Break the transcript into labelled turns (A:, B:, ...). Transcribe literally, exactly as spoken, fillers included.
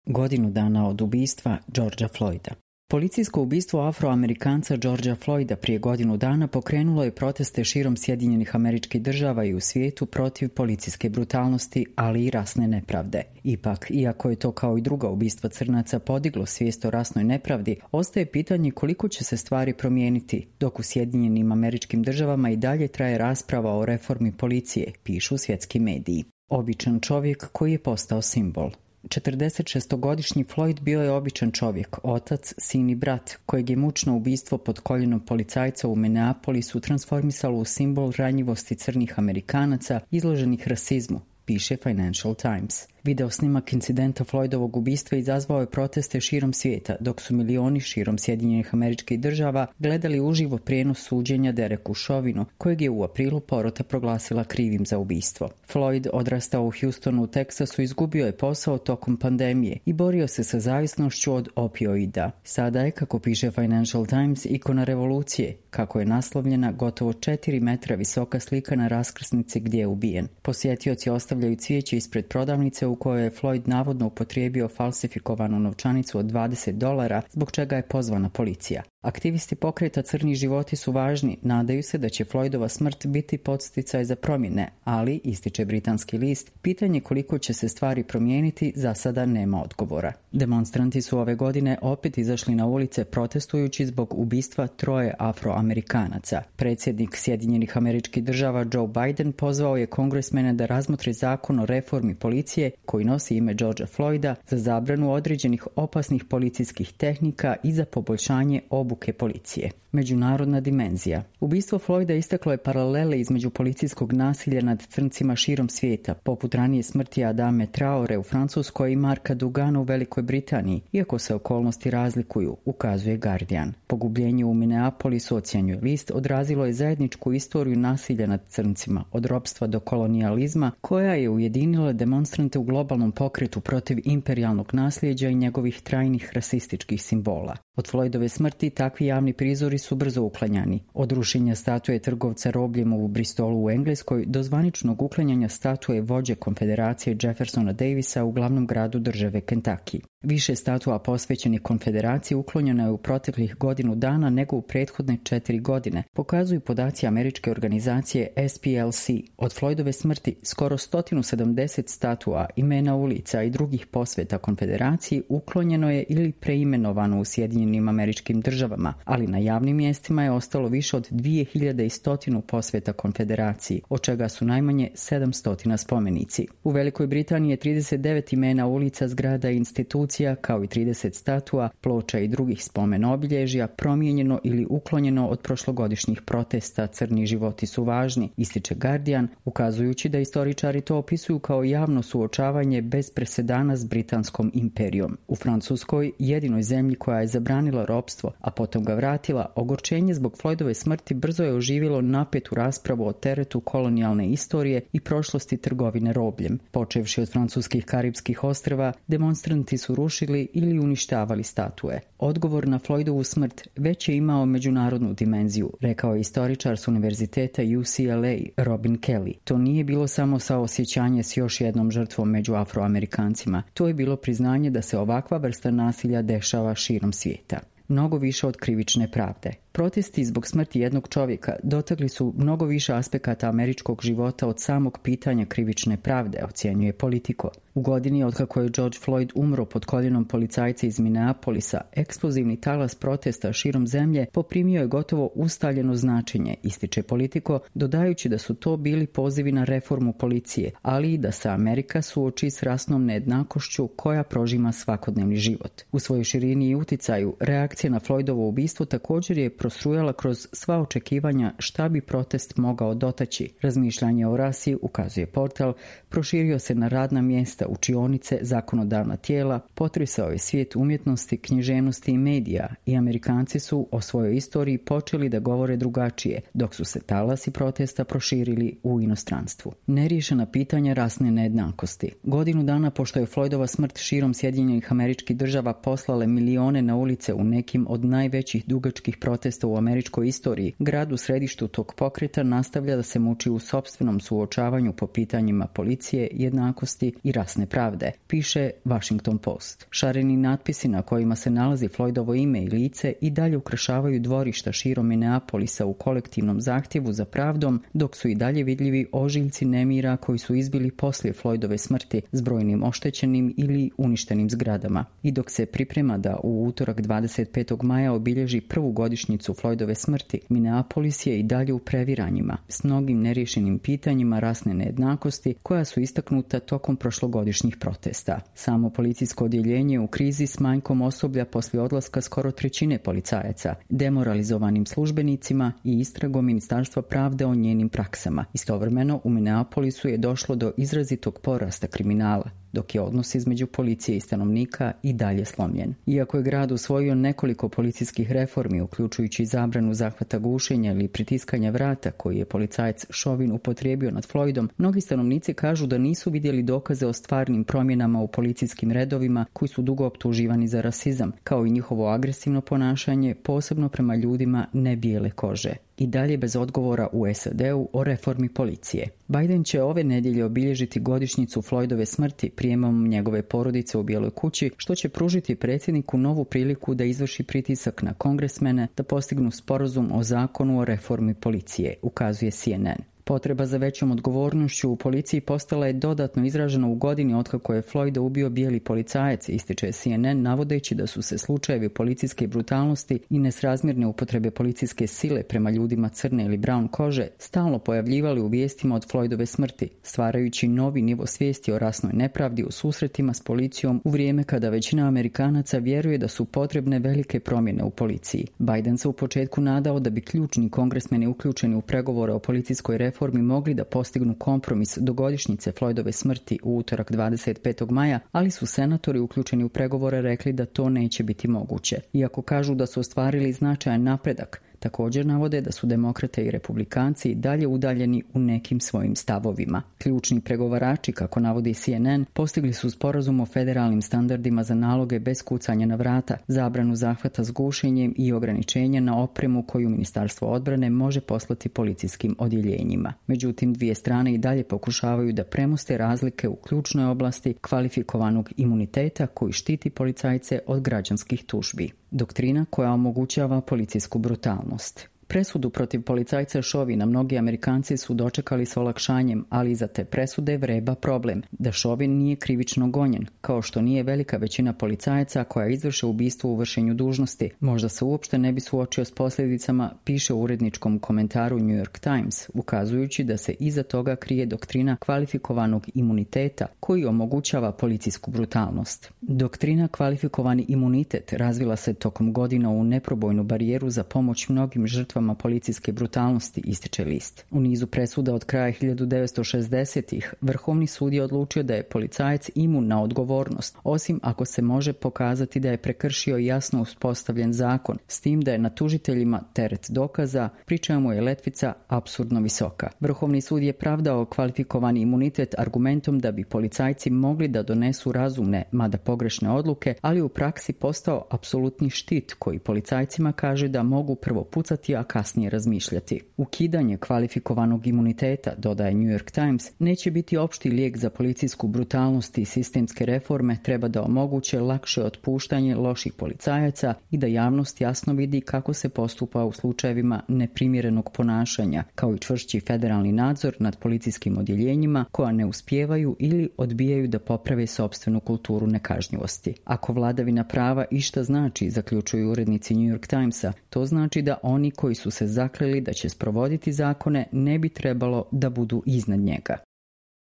A: Godinu dana od ubistva Georgea Floyda. Policijsko ubistvo Afroamerikanca Georgea Floyda prije godinu dana pokrenulo je proteste širom Sjedinjenih Američkih Država i u svijetu protiv policijske brutalnosti, ali i rasne nepravde. Ipak, iako je to kao i druga ubistva crnaca podiglo svijest o rasnoj nepravdi, ostaje pitanje koliko će se stvari promijeniti, dok u Sjedinjenim Američkim Državama i dalje traje rasprava o reformi policije, pišu svjetski mediji. Običan čovjek koji je postao simbol. četrdesetšestogodišnji Floyd bio je običan čovjek, otac, sin i brat, kojeg je mučno ubistvo pod koljenom policajca u Minneapolisu transformisalo u simbol ranjivosti crnih Amerikanaca izloženih rasizmu, piše Financial Times. Video snimak incidenta Floydovog ubistva izazvao je proteste širom svijeta, dok su milioni širom Sjedinjenih Američkih Država gledali uživo prijenos suđenja Dereku Chauvinu, kojeg je u aprilu porota proglasila krivim za ubistvo. Floyd, odrastao u Houstonu u Teksasu, izgubio je posao tokom pandemije i borio se sa zavisnošću od opioida. Sada je, kako piše Financial Times, ikona revolucije, kako je naslovljena gotovo četiri metra visoka slika na raskrsnici gdje je ubijen. Posjetioci ostavljaju cvijeće ispred prodavnice u kojoj je Floyd navodno upotrijebio falsifikovanu novčanicu od dvadeset dolara, zbog čega je pozvana policija. Aktivisti pokreta Crni životi su važni, nadaju se da će Floydova smrt biti podsticaj za promjene, ali, ističe britanski list, pitanje koliko će se stvari promijeniti za sada nema odgovora. Demonstranti su ove godine opet izašli na ulice protestujući zbog ubistva troje Afroamerikanaca. Predsjednik Sjedinjenih Američkih Država Joe Biden pozvao je kongresmene da razmotre zakon o reformi policije koji nosi ime Georgea Floyda za zabranu određenih opasnih policijskih tehnika i za poboljšanje obuke policije. Međunarodna dimenzija. Ubistvo Floyda istaklo je paralele između policijskog nasilja nad crncima širom svijeta, poput ranije smrti Adame Traore u Francuskoj i Marka Dugana u Velikoj Britaniji, iako se okolnosti razlikuju, ukazuje Guardian. Pogubljenje u Minneapolisu, ocjenjuje list, odrazilo je zajedničku istoriju nasilja nad crncima, od ropstva do kolonijalizma, koja je ujedinila demonstrante u globalnom pokretu protiv imperijalnog nasljeđa i njegovih trajnih rasističkih simbola. Od Floydove smrti takvi javni prizori su brzo uklanjani. Od rušenja statue trgovca robljem u Bristolu u Engleskoj do zvaničnog uklanjanja statue vođe konfederacije Jeffersona Davisa u glavnom gradu države Kentucky. Više statua posvećenih konfederaciji uklonjeno je u proteklih godinu dana nego u prethodne četiri godine, pokazuju podaci američke organizacije S P L C. Od Floydove smrti skoro sto sedamdeset statua, imena ulica i drugih posveta konfederaciji uklonjeno je ili preimenovano u Sjedinjenim Američkim Državama, ali na javnim mjestima je ostalo više od dvije hiljade sto posveta konfederaciji, od čega su najmanje sedamsto spomenici. U Velikoj Britaniji je trideset devet imena ulica, zgrada i institucija kao i trideset statua, ploča i drugih spomen obilježja promijenjeno ili uklonjeno od prošlogodišnjih protesta. Crni životi su važni, ističe Guardian, ukazujući da istoričari to opisuju kao javno suočavanje bez presedana s britanskom imperijom. U Francuskoj, jedinoj zemlji koja je zabranila ropstvo, a potom ga vratila, ogorčenje zbog Floydove smrti brzo je oživjelo napetu raspravu o teretu kolonijalne istorije i prošlosti trgovine robljem. Počevši od francuskih Karibskih ostrva, demonstranti su rušili ili uništavali statue. Odgovor na Floydovu smrt već je imao međunarodnu dimenziju, rekao je istoričar s univerziteta U C L A Robin Kelly. To nije bilo samo saosjećanje s još jednom žrtvom među Afroamerikancima. To je bilo priznanje da se ovakva vrsta nasilja dešava širom svijeta. Mnogo više od krivične pravde. Protesti zbog smrti jednog čovjeka dotakli su mnogo više aspekata američkog života od samog pitanja krivične pravde, ocjenjuje Politico. U godini otkako je George Floyd umro pod koljenom policajca iz Minneapolisa, eksplozivni talas protesta širom zemlje poprimio je gotovo ustaljeno značenje, ističe Politico, dodajući da su to bili pozivi na reformu policije, ali i da se Amerika suoči s rasnom nejednakošću koja prožima svakodnevni život. U svojoj širini i uticaju, reakcija na Floydovo ubistvo također je prostrujala kroz sva očekivanja šta bi protest mogao dotaći. Razmišljanje o rasi, ukazuje portal, proširio se na radna mjesta, učionice, zakonodavna tijela, potresao je svijet umjetnosti, književnosti i medija i Amerikanci su o svojoj istoriji počeli da govore drugačije, dok su se talasi protesta proširili u inostranstvu. Neriješena pitanja rasne nejednakosti. Godinu dana pošto je Floydova smrt širom Sjedinjenih Američkih Država poslale milione na ulice u nekim od najvećih dugačkih protesta u američkoj istoriji, grad u središtu tog pokreta nastavlja da se muči u sopstvenom suočavanju po pitanjima policije, jednakosti i rasne jasne pravde, piše Washington Post. Šareni natpisi na kojima se nalazi Floydovo ime i lice i dalje ukrašavaju dvorišta širom Minneapolisa u kolektivnom zahtjevu za pravdom, dok su i dalje vidljivi ožiljci nemira koji su izbili poslije Floydove smrti s brojnim oštećenim ili uništenim zgradama. I dok se priprema da u utorak dvadeset petog maja obilježi prvu godišnjicu Floydove smrti, Minneapolis je i dalje u previranjima, s mnogim neriješenim pitanjima rasne nejednakosti koja su istaknuta tokom prošlogodišnjih protesta. Samo policijsko odjeljenje u krizi s manjkom osoblja poslije odlaska skoro trećine policajaca, demoralizovanim službenicima i istragom Ministarstva pravde o njenim praksama. Istovremeno u Minneapolisu je došlo do izrazitog porasta kriminala, dok je odnos između policije i stanovnika i dalje slomljen. Iako je grad usvojio nekoliko policijskih reformi, uključujući zabranu zahvata gušenja ili pritiskanja vrata koji je policajac Chauvin upotrijebio nad Floydom, mnogi stanovnici kažu da nisu vidjeli dokaze o stvarnim promjenama u policijskim redovima koji su dugo optuživani za rasizam, kao i njihovo agresivno ponašanje, posebno prema ljudima nebijele kože. I dalje bez odgovora u S A D-u o reformi policije. Biden će ove nedjelje obilježiti godišnjicu Floydove smrti prijemom njegove porodice u Bijeloj kući, što će pružiti predsjedniku novu priliku da izvrši pritisak na kongresmene da postignu sporazum o zakonu o reformi policije, ukazuje C N N. Potreba za većom odgovornošću u policiji postala je dodatno izražena u godini otkako je Floyda ubio bijeli policajac, ističe C N N, navodeći da su se slučajevi policijske brutalnosti i nesrazmjerne upotrebe policijske sile prema ljudima crne ili brown kože stalno pojavljivali u vijestima od Floydove smrti, stvarajući novi nivo svijesti o rasnoj nepravdi u susretima s policijom u vrijeme kada većina Amerikanaca vjeruje da su potrebne velike promjene u policiji. Biden se u početku nadao da bi ključni kongresmeni uključeni u pregovore o policijskoj reformi reformi mogli da postignu kompromis do godišnjice Floydove smrti u utorak dvadeset petog maja, ali su senatori uključeni u pregovore rekli da to neće biti moguće. Iako kažu da su ostvarili značajan napredak, također navode da su demokrate i republikanci dalje udaljeni u nekim svojim stavovima. Ključni pregovarači, kako navodi C N N, postigli su sporazum o federalnim standardima za naloge bez kucanja na vrata, zabranu zahvata s gušenjem i ograničenja na opremu koju Ministarstvo odbrane može poslati policijskim odjeljenjima. Međutim, dvije strane i dalje pokušavaju da premoste razlike u ključnoj oblasti kvalifikovanog imuniteta koji štiti policajce od građanskih tužbi. Doktrina koja omogućava policijsku brutalnost. Presudu protiv policajca Chauvina mnogi Amerikanci su dočekali s olakšanjem, ali iza te presude vreba problem, da Chauvin nije krivično gonjen, kao što nije velika većina policajaca koja izvrše ubistvo u vršenju dužnosti. Možda se uopšte ne bi suočio s posljedicama, piše u uredničkom komentaru New York Times, ukazujući da se iza toga krije doktrina kvalifikovanog imuniteta koji omogućava policijsku brutalnost. Doktrina kvalifikovani imunitet razvila se tokom godina u neprobojnu barijeru za pomoć mnogim žrtvama policijske brutalnosti, ističe list. U nizu presuda od kraja hiljadu devetsto šezdesetih Vrhovni sud je odlučio da je policajac imun na odgovornost, osim ako se može pokazati da je prekršio jasno uspostavljen zakon, s tim da je na tužiteljima teret dokaza, pri čemu je letvica apsurdno visoka. Vrhovni sud je pravdao kvalifikovani imunitet argumentom da bi policajci mogli da donesu razumne, mada pogrešne odluke, ali u praksi postao apsolutni štit koji policajcima kaže da mogu prvo pucati, a kasnije razmišljati. Ukidanje kvalifikovanog imuniteta, dodaje New York Times, neće biti opšti lijek za policijsku brutalnost i sistemske reforme, treba da omoguće lakše otpuštanje loših policajaca i da javnost jasno vidi kako se postupa u slučajevima neprimjerenog ponašanja, kao i čvršći federalni nadzor nad policijskim odjeljenjima koja ne uspijevaju ili odbijaju da poprave sopstvenu kulturu nekažnjivosti. Ako vladavina prava išta znači, zaključuju urednici New York Timesa, to znači da oni koji su se zakleli da će sprovoditi zakone ne bi trebalo da budu iznad njega.